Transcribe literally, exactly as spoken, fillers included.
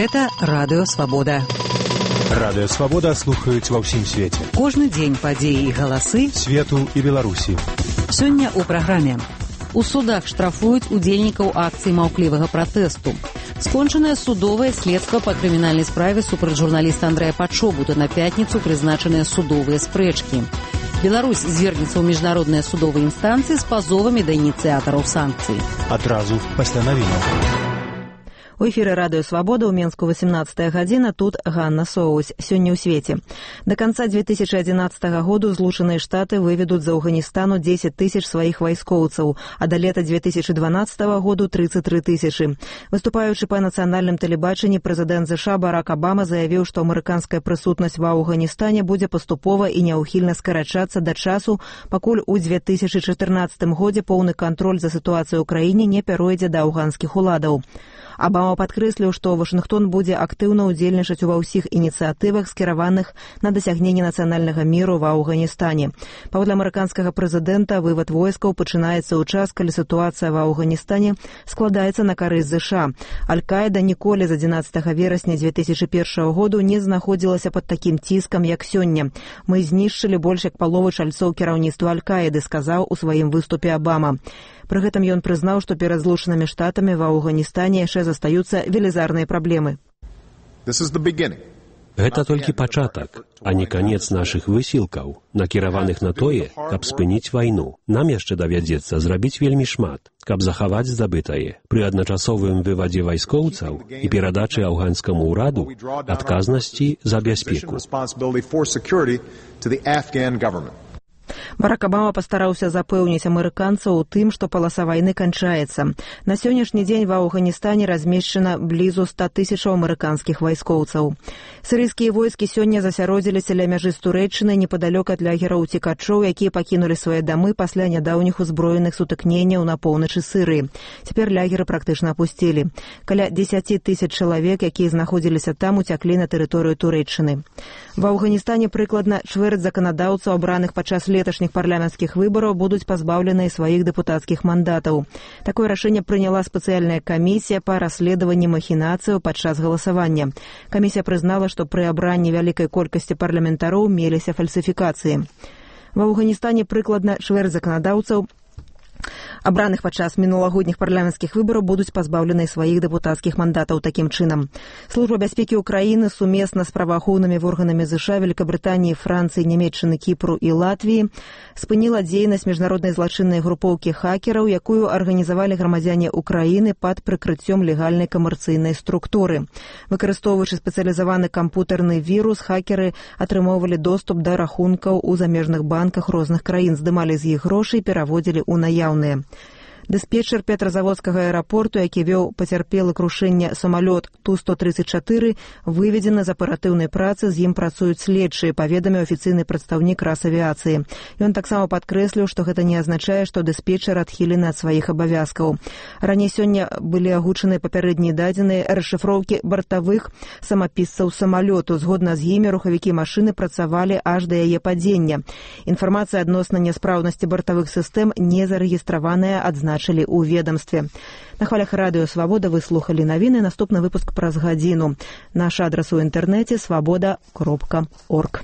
Гэта Радыё Свабода. Радыё Свабода слухаюць ва ўсім свеце. Кожны дзень падзеі і галасы свету і Беларусі. Сёння ў праграме. У судах штрафуюць удзельнікаў акцыі маўклівага пратэсту. Скончанае судовае следства па крымінальнай справе супраць журналіста Андрэя Пачобута. На пятніцу прызначаныя судовыя спрэчкі. Беларусь звернецца ў міжнародныя судовыя інстанцыі з пазовамі да ініцыятараў санкцый. Адразу пасля навінаў. У эфіры Радыё Свабода ў Менску восемнадцатая гадзіна, тут Ганна Соусь. Сёння ў свеце. До канца две тысячи одиннадцатого году Злучаныя Штаты выведуць з Афганістану дзесяць тысяч сваіх вайскоўцаў, а да лета две тысячи дванадцатого году тридцать три тысячи. Выступаючы па нацыянальным тэлебачанні, прэзідэнт ЗША Барак Абама заявіў, што амерыканская прысутнасць ва Афганістане будзе паступова і няўхільна скарачацца да часу, пакуль у две тысячи чатырнаццатым годзе поўны кантроль за сітуацыяй у краіне не пяройдзе да афганскіх уладаў. Абама падкрэсліў, што Вашынгтон будзе актыўна ўдзельнічаць ува ўсіх ініцыятывах, скіраваных на дасягненне нацыянальнага міру ва Афганістане. Паводле амерыканскага прэзідэнта, вывад войскаў пачынаецца ў час, калі сітуацыя ва Афганістане складаецца на карысць ЗША. Аль-Каіда ніколі з адзінаццатага верасня две тысячи першага году не знаходзілася пад такім ціскам, як сёння. Мы знішчылі больш як палову чальцоў кіраўніцтва Аль-Каіды, сказаў у сваім выступе Абама. Пры гэтым ён прызнаў, што перад Злучанымі Штатамі ва Афганістане яшчэ застаюцца велізарныя праблемы. Гэта толькі пачатак, а не канец нашых высілкаў, накіраваных на тое, каб спыніць вайну. Нам яшчэ давядзецца зрабіць вельмі шмат, каб захаваць здабытае. Пры адначасовым вывадзе вайскоўцаў і перадачы афганскаму ўраду адказнасці за бяспеку. Барак Абама пастараўся запэўніць амерыканцаў у тым, што паласа вайны канчаецца. На сённяшні дзень ва Афганістане размешчана блізу ста тысячаў амерыканскіх вайскоўцаў. Сірыйскія войскі сёння засяродзіліся ля мяжы з Турэччынай непадалёк ад лагераў уцекачоў, якія пакінулі свае дамы пасля нядаўніх узброеных сутыкненняў на поўначы Сірыі. Цяпер лагеры практычна апусцілі. Каля дзесяць тысяч чалавек, якія знаходзіліся там, уцяклі на тэрыторыю Турэччыны. Ва Афганістане прыкладна чвэрць заканадаўцаў, абраных падчас леташніх парламенцкіх выбараў, будуць пазбаўленыя сваіх дэпутацкіх мандатаў. Такое рашэнне прыняла спецыяльная камісія па расследаванні махінацыяў падчас галасавання. Камісія прызнала, што пры абранні вялікай колькасці парламентароў меліся фальсіфікацыі. Ва Афганістане прыкладна чвэрць заканадаўцаў, абраных падчас мінулагодніх парламенцкіх выбараў, будуць пазбаўлены сваіх дэпутацкіх мандатаў такім чынам. Служба бяспекі ўкраіны сумесна з праваахоўнымі органамі ЗША, Великабрытаніі, Францыі, Нямецчыны, Кіпру і Латвіі спыніла дзейнасць міжнароднай злачыннай групоўкі хакераў, якую арганізавалі грамадзяне Украіны пад прыкрыццём легальнай камерцыйнай структуры. Выкарыстоўваючы спецыялізаваны кампутарны вірус, хакеры атрымоўвалі доступ да рахункаў у замежных банках розных краін, здымалі з іх грошы і пераводзілі ў наяўныя. Дыспетчер петрозаводскага аэрапорту, які вёў пацярпелы крушэння самалёт Ту сто тридцать четыре, выведзены з аператыўнай працы, з ім працуюць следчыя, паведаміў афіцыйны прадстаўнік Расавіяцыі. Ён таксама падкрэсліў, што гэта не азначае, што дыспетчер адхілены ад сваіх абавязкаў. Раней сёння былі агучаныя папярэднія дадзеныя расшыфроўкі бартавых самапісцаў самалёту. Згодна з імі рухавікі машыны працавалі аж да яе падзення. Інфармацыя адносна няспраўнасці бартавых сістэм не зарэгістраваная, адзначылі у ведомстве. На хвалях Радыё Свабода вы слухалі навіны. Наступны выпуск праз гадзіну. Наш адрас у інтэрнэце свабода кропка орг.